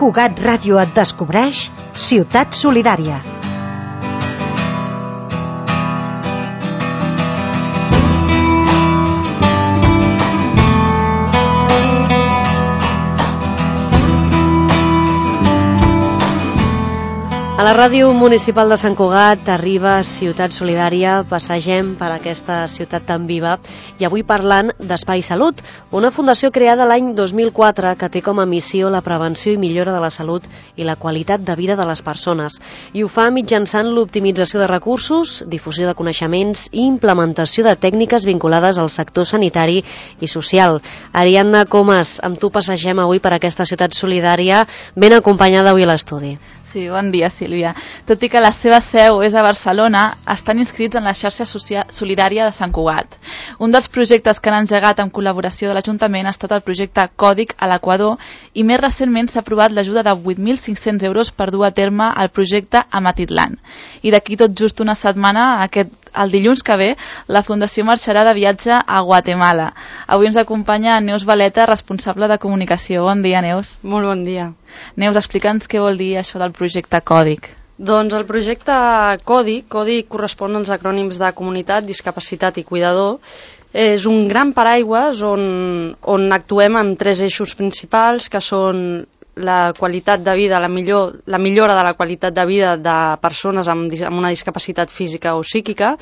Cugat Ràdio et descobreix Ciutat Solidària. A la ràdio municipal de Sant Cugat arriba Ciutat Solidària, passegem per aquesta ciutat tan viva i avui parlant d'Espai Salut, una fundació creada l'any 2004 que té com a missió la prevenció i millora de la salut i la qualitat de vida de les persones. I ho fa mitjançant l'optimització de recursos, difusió de coneixements i implementació de tècniques vinculades al sector sanitari i social. Ariadna Comas, amb tu passegem avui per aquesta Ciutat Solidària, ben acompanyada avui a l'estudi. Sí, bon dia, Sílvia. Tot i que la seva seu és a Barcelona, estan inscrits en la xarxa solidària de Sant Cugat. Un dels projectes que han engegat en col·laboració de l'Ajuntament ha estat el projecte Còdic a l'Equador i més recentment s'ha aprovat l'ajuda de 8.500 euros per dur a terme el projecte a Matitlan. I d'aquí tot just una setmana, el dilluns que ve, la Fundació marxarà de viatge a Guatemala. Avui ens acompanya Neus Valeta, responsable de comunicació. Bon dia, Neus. Molt bon dia. Neus, explica'ns què vol dir això del projecte Còdic. Doncs el projecte Còdic correspon als acrònims de comunitat, discapacitat i cuidador. És un gran paraigües on actuem amb tres eixos principals, que són la qualitat de vida, la millora de la qualitat de vida de persones amb una discapacitat física o psíquica,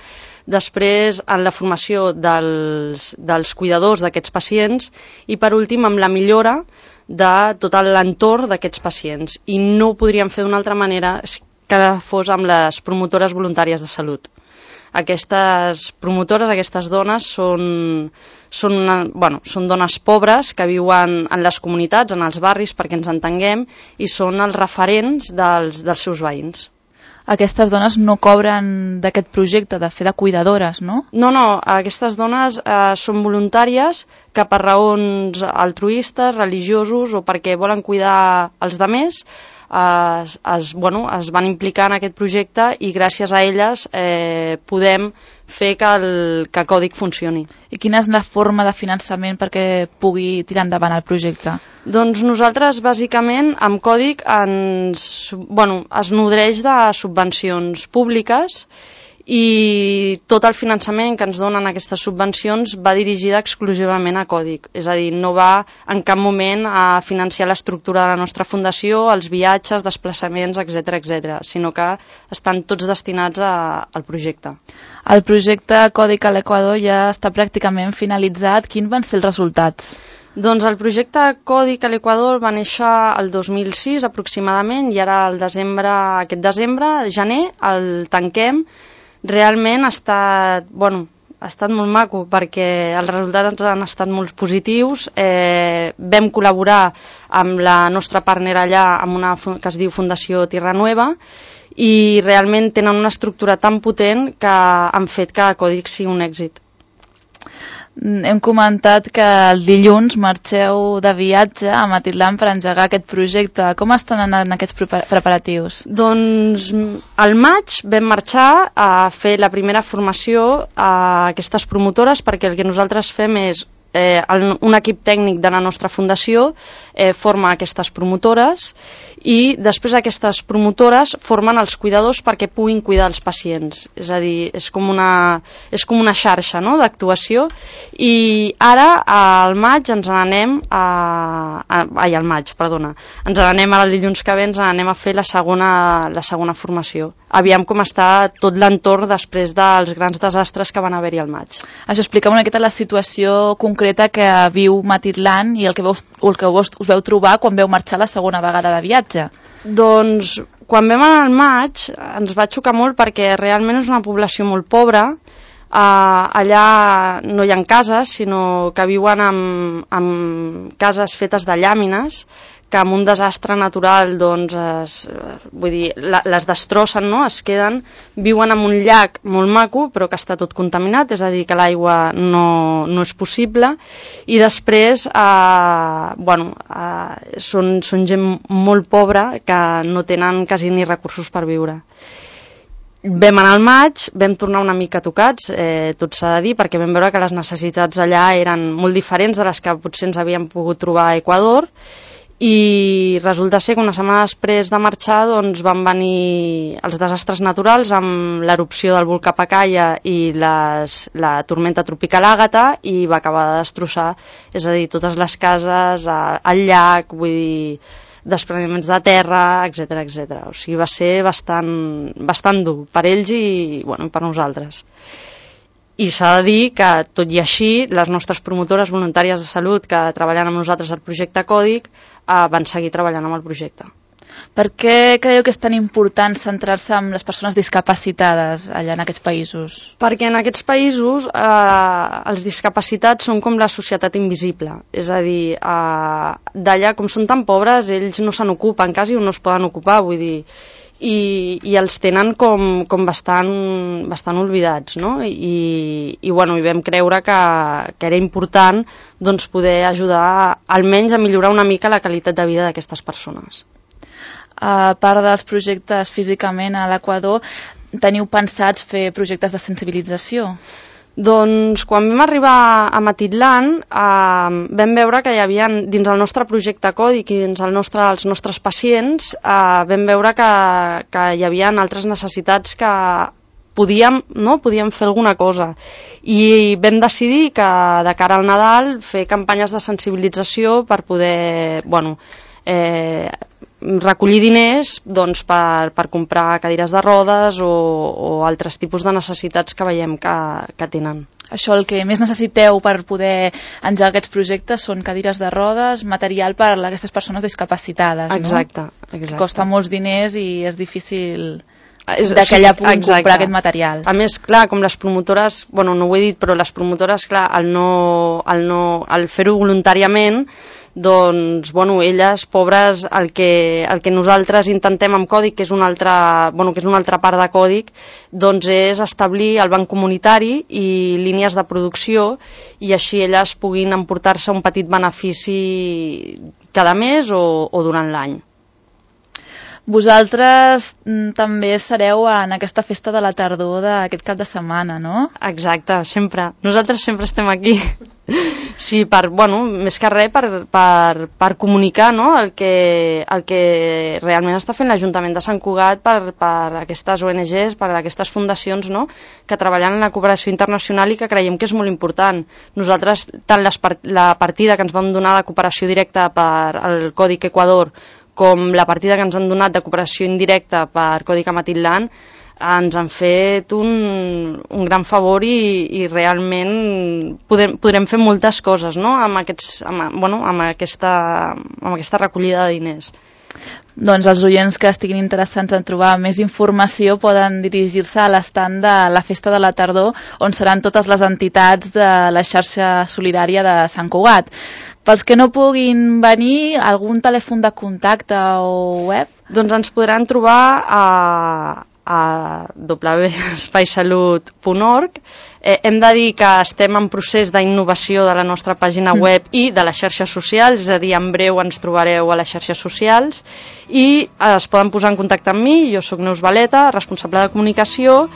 després en la formació dels cuidadors d'aquests pacients i per últim amb la millora de tot l'entorn d'aquests pacients. I no ho podríem fer d'una altra manera que fos amb les promotores voluntàries de salut. Aquestes promotores, aquestes dones són dones pobres que viuen en les comunitats, en els barris, perquè ens entenguem, i són els referents dels seus veïns. Aquestes dones no cobren d'aquest projecte de fer de cuidadores, no? No, aquestes dones són voluntàries que per raons altruistes, religiosos o perquè volen cuidar els demés es van implicar en aquest projecte i gràcies a elles podem fer que Còdic funcioni. I quina és la forma de finançament perquè pugui tirar endavant el projecte? Doncs nosaltres, bàsicament, amb Còdic es nodreix de subvencions públiques i tot el finançament que ens donen aquestes subvencions va dirigida exclusivament a Còdic. És a dir, no va en cap moment a financiar l'estructura de la nostra fundació, els viatges, desplaçaments, etc., sinó que estan tots destinats al projecte. El projecte Còdic a l'Equador ja està pràcticament finalitzat. Quins van ser els resultats? Doncs el projecte Còdic a l'Equador va néixer el 2006 aproximadament i ara aquest desembre, gener, el tanquem. Realment ha estat molt maco perquè els resultats han estat molt positius. Vam col·laborar amb la nostra partner allà, amb una que es diu Fundació Tierra Nueva, i realment tenen una estructura tan potent que han fet que Còdic sigui un èxit. Hem comentat que el dilluns marxeu de viatge a Matitlan per engegar aquest projecte. Com estan anant aquests preparatius? Doncs al maig vam marxar a fer la primera formació a aquestes promotores perquè el que nosaltres fem és un equip tècnic de la nostra fundació forma aquestes promotores i després aquestes promotores formen els cuidadors perquè puguin cuidar els pacients. És a dir, és com una xarxa, no?, d'actuació. I ara al maig ens n'anem ens n'anem ara el dilluns que ve, ens n'anem a fer la segona formació. Aviam com està tot l'entorn després dels grans desastres que van haver-hi al maig. Això explica una miqueta la situació concreta que viu Matitlan i el que us veu trobar quan veu marxar la segona vegada de viatge. Doncs quan vam anar al maig ens va xocar molt perquè realment és una població molt pobra. Allà no hi ha cases, sinó que viuen amb cases fetes de llàmines que amb un desastre natural les destrossen, no? Es queden, viuen en un llac molt maco però que està tot contaminat, és a dir, que l'aigua no és possible, i després són gent molt pobra que no tenen quasi ni recursos per viure. Vam anar al maig, vam tornar una mica tocats, tot s'ha de dir, perquè vam veure que les necessitats allà eren molt diferents de les que potser ens havíem pogut trobar a Equador, i resulta ser que una setmana després de marxar doncs, van venir els desastres naturals amb l'erupció del volcà Pacaya i la tormenta tropical Àgata i va acabar de destrossar, és a dir, totes les cases, el llac, vull dir, despreniments de terra, etc etc. O sigui, va ser bastant dur per ells i bueno, per nosaltres. I s'ha de dir que, tot i així, les nostres promotores voluntàries de salut que treballen amb nosaltres al projecte Còdic van seguir treballant amb el projecte. Per què creieu que és tan important centrar-se en les persones discapacitades allà en aquests països? Perquè en aquests països els discapacitats són com la societat invisible. És a dir, d'allà, com són tan pobres, ells no se n'ocupen, quasi no es poden ocupar, vull dir, i els tenen com bastant oblidats, no? I bueno, hi vam creure que era important doncs, poder ajudar almenys a millorar una mica la qualitat de vida d'aquestes persones. A part dels projectes físicament a l'Equador, teniu pensats fer projectes de sensibilització? Doncs quan vam arribar a Matitlan vam veure que hi havia dins el nostre projecte Còdic i dins els nostres pacients vam veure que hi havia altres necessitats que podíem fer alguna cosa i vam decidir que de cara al Nadal fer campanyes de sensibilització per poder recollir diners doncs, per comprar cadires de rodes o altres tipus de necessitats que veiem que tenen. Això, el que més necessiteu per poder engegar aquests projectes són cadires de rodes, material per a aquestes persones discapacitades, no? Exacte. Costa molts diners i és difícil que ella pugui comprar aquest material. A més, clar, com les promotores, bueno, no ho he dit, però les promotores, clar, al fer-ho voluntàriament, doncs, bueno, elles, pobres, el que nosaltres intentem amb Còdic, que és una altra part de Còdic, doncs és establir el banc comunitari i línies de producció i així elles puguin emportar-se un petit benefici cada mes o durant l'any. Vosaltres també sereu en aquesta festa de la tardor d'aquest cap de setmana, no? Exacte, sempre. Nosaltres sempre estem aquí. Sí, més que res per comunicar, no? el que realment està fent l'Ajuntament de Sant Cugat per aquestes ONGs, per aquestes fundacions, no? Que treballen en la cooperació internacional i que creiem que és molt important. Nosaltres, tant la partida que ens vam donar de cooperació directa per al Còdic Equador com la partida que ens han donat de cooperació indirecta per Còdic Amatitlán, ens han fet un gran favor i realment podrem fer moltes coses, no? amb aquesta recollida de diners. Doncs els oients que estiguin interessants en trobar més informació poden dirigir-se a l'estand de la Festa de la Tardor, on seran totes les entitats de la xarxa solidària de Sant Cugat. Pels que no puguin venir, algun telèfon de contacte o web? Doncs ens podran trobar a www.espaisalut.org. Hem de dir que estem en procés d'innovació de la nostra pàgina web i de les xarxes socials, és a dir, en breu ens trobareu a les xarxes socials i es poden posar en contacte amb mi. Jo soc Neus Valeta, responsable de comunicació,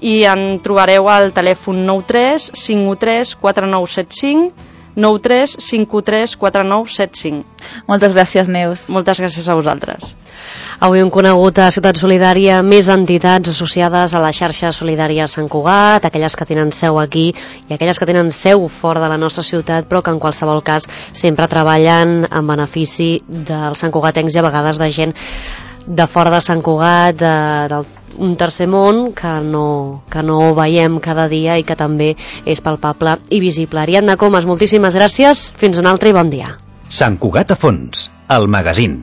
i en trobareu al telèfon 93 513 4975, 93 513 4975. Moltes gràcies, Neus. Moltes gràcies a vosaltres. Avui hem conegut a Ciutat Solidària més entitats associades a la xarxa solidària Sant Cugat, aquelles que tenen seu aquí i aquelles que tenen seu fora de la nostra ciutat, però que en qualsevol cas sempre treballen en benefici dels santcugatencs i a vegades de gent de fora de Sant Cugat, d'un tercer món que no veiem cada dia i que també és palpable i visible. Ariadna Comas, moltíssimes gràcies, fins un altre i bon dia. Sant Cugat a fons, el magazín.